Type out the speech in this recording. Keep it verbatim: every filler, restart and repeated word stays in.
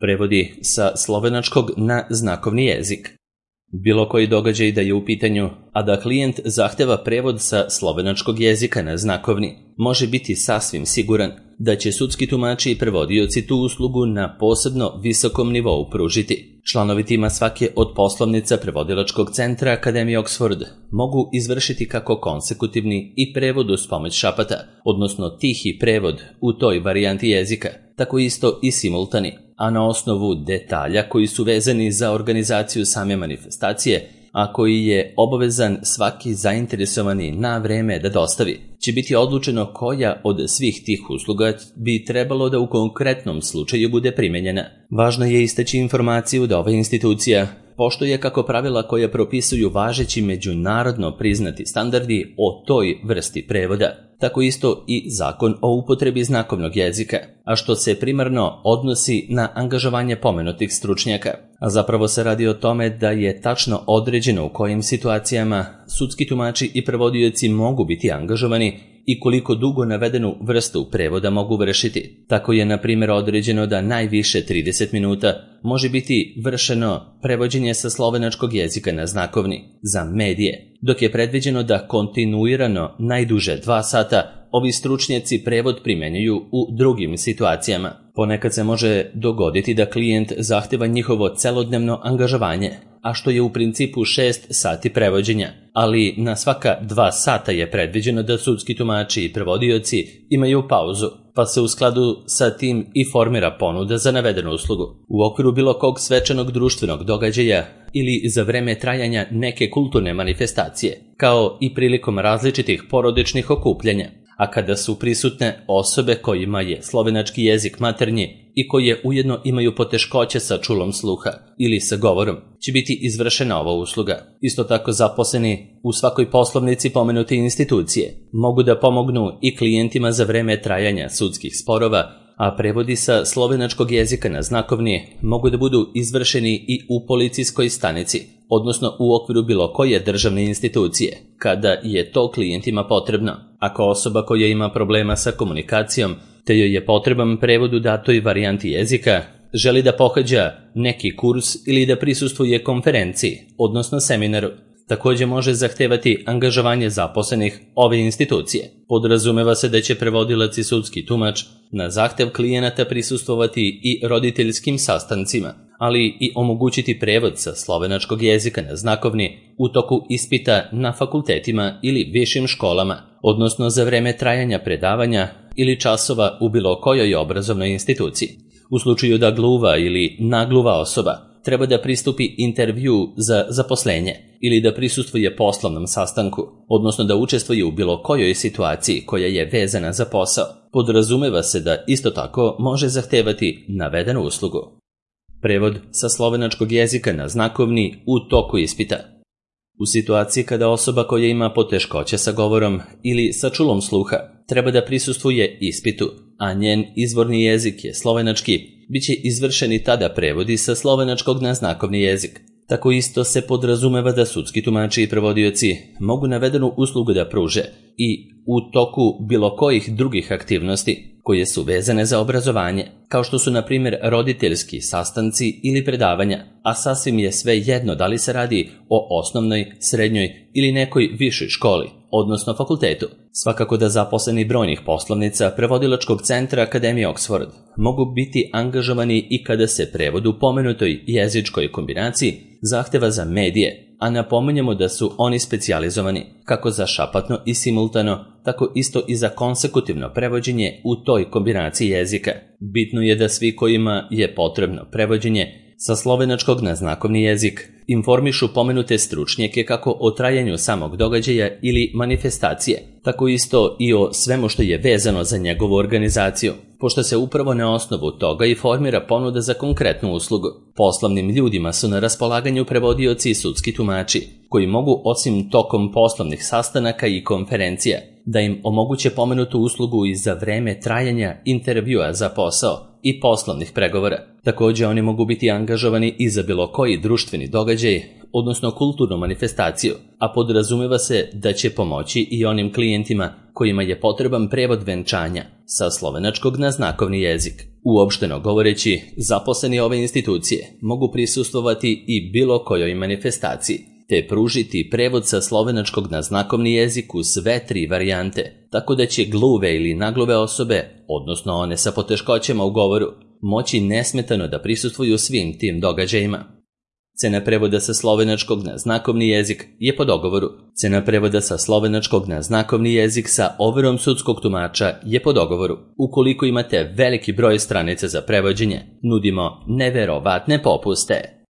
Prevodi sa slovenačkog na znakovni jezik. Bilo koji događaj da je u pitanju, a da klijent zahteva prevod sa slovenačkog jezika na znakovni, može biti sasvim siguran da će sudski tumači i prevodioci tu uslugu na posebno visokom nivou pružiti. Članovi tima svake od poslovnica prevodilačkog centra Akademije Oxford mogu izvršiti kako konsekutivni i prevod uz pomoć šapata, odnosno tihi prevod u toj varijanti jezika, tako isto i simultani, a na osnovu detalja koji su vezani za organizaciju same manifestacije, a koji je obavezan svaki zainteresovani na vreme da dostavi, će biti odlučeno koja od svih tih usluga bi trebalo da u konkretnom slučaju bude primenjena. Važno je istaći informaciju da ova institucija poštuje kako pravila koja propisuju važeći međunarodno priznati standardi o toj vrsti prevoda, tako isto i zakon o upotrebi znakovnog jezika, a što se primarno odnosi na angažovanje pomenutih stručnjaka. A zapravo se radi o tome da je tačno određeno u kojim situacijama sudski tumači i prevodioci mogu biti angažovani i koliko dugo navedenu vrstu prevoda mogu vršiti. Tako je, na primjer, određeno da najviše trideset minuta može biti vršeno prevođenje sa slovenačkog jezika na znakovni za medije, dok je predviđeno da kontinuirano najduže dva sata ovi stručnjaci prevod primenjuju u drugim situacijama. Ponekad se može dogoditi da klijent zahteva njihovo celodnevno angažovanje, a što je u principu šest sati prevođenja, ali na svaka dva sata je predviđeno da sudski tumači i prevodioci imaju pauzu, pa se u skladu sa tim i formira ponuda za navedenu uslugu. U okviru bilo kog svečanog društvenog događaja ili za vreme trajanja neke kulturne manifestacije, kao i prilikom različitih porodičnih okupljanja, a kada su prisutne osobe kojima je slovenački jezik maternji i koje ujedno imaju poteškoće sa čulom sluha ili sa govorom, će biti izvršena ova usluga. Isto tako, zaposleni u svakoj poslovnici pomenute institucije mogu da pomognu i klijentima za vreme trajanja sudskih sporova, a prevodi sa slovenačkog jezika na znakovni mogu da budu izvršeni i u policijskoj stanici, odnosno u okviru bilo koje državne institucije, kada je to klijentima potrebno. Ako osoba koja ima problema sa komunikacijom, te joj je potreban prevod u datoj varijanti jezika, želi da pohađa neki kurs ili da prisustvuje konferenciji, odnosno seminaru, također može zahtevati angažovanje zaposlenih ove institucije. Podrazumeva se da će prevodilac i sudski tumač na zahtev klijenata prisustvovati i roditeljskim sastancima, ali i omogućiti prevod sa slovenačkog jezika na znakovni u toku ispita na fakultetima ili višim školama, odnosno za vreme trajanja predavanja ili časova u bilo kojoj obrazovnoj instituciji. U slučaju da gluva ili nagluva osoba treba da pristupi intervju za zaposlenje ili da prisustvuje poslovnom sastanku, odnosno da učestvuje u bilo kojoj situaciji koja je vezana za posao, podrazumeva se da isto tako može zahtevati navedenu uslugu. Prevod sa slovenačkog jezika na znakovni u toku ispita. U situaciji kada osoba koja ima poteškoće sa govorom ili sa čulom sluha treba da prisustvuje ispitu, a njen izvorni jezik je slovenački, bit će izvršeni tada prevodi sa slovenačkog na znakovni jezik. Tako isto se podrazumeva da sudski tumači i prevodioci mogu navedenu uslugu da pruže i u toku bilo kojih drugih aktivnosti koje su vezane za obrazovanje, kao što su na primjer roditeljski sastanci ili predavanja, a sasvim je sve jedno da li se radi o osnovnoj, srednjoj ili nekoj višoj školi, odnosno fakultetu. Svakako da zaposleni brojnih poslovnica prevodilačkog centra Akademije Oxford mogu biti angažovani i kada se prevod u pomenutoj jezičkoj kombinaciji zahteva za medije, a napominjemo da su oni specijalizovani kako za šapatno i simultano, tako isto i za konsekutivno prevođenje u toj kombinaciji jezika. Bitno je da svi kojima je potrebno prevođenje sa slovenačkog na znakovni jezik informišu pomenute stručnjake kako o trajanju samog događaja ili manifestacije, tako isto i o svemu što je vezano za njegovu organizaciju, pošto se upravo na osnovu toga i formira ponuda za konkretnu uslugu. Poslovnim ljudima su na raspolaganju prevodioci i sudski tumači, koji mogu osim tokom poslovnih sastanaka i konferencija da im omoguće pomenutu uslugu i za vreme trajanja intervjua za posao i poslovnih pregovora. Također oni mogu biti angažovani i za bilo koji društveni događaj, odnosno kulturnu manifestaciju, a podrazumeva se da će pomoći i onim klijentima kojima je potreban prevod venčanja sa slovenačkog na znakovni jezik. Uopšteno govoreći, zaposleni ove institucije mogu prisustvovati i bilo kojoj manifestaciji, te pružiti prevod sa slovenačkog na znakovni jezik u sve tri varijante, tako da će gluve ili nagluve osobe, odnosno one sa poteškoćama u govoru, moći nesmetano da prisustvuju svim tim događajima. Cena prevoda sa slovenačkog na znakovni jezik je po dogovoru. Cena prevoda sa slovenačkog na znakovni jezik sa overom sudskog tumača je po dogovoru. Ukoliko imate veliki broj stranica za prevođenje, nudimo neverovatne popuste.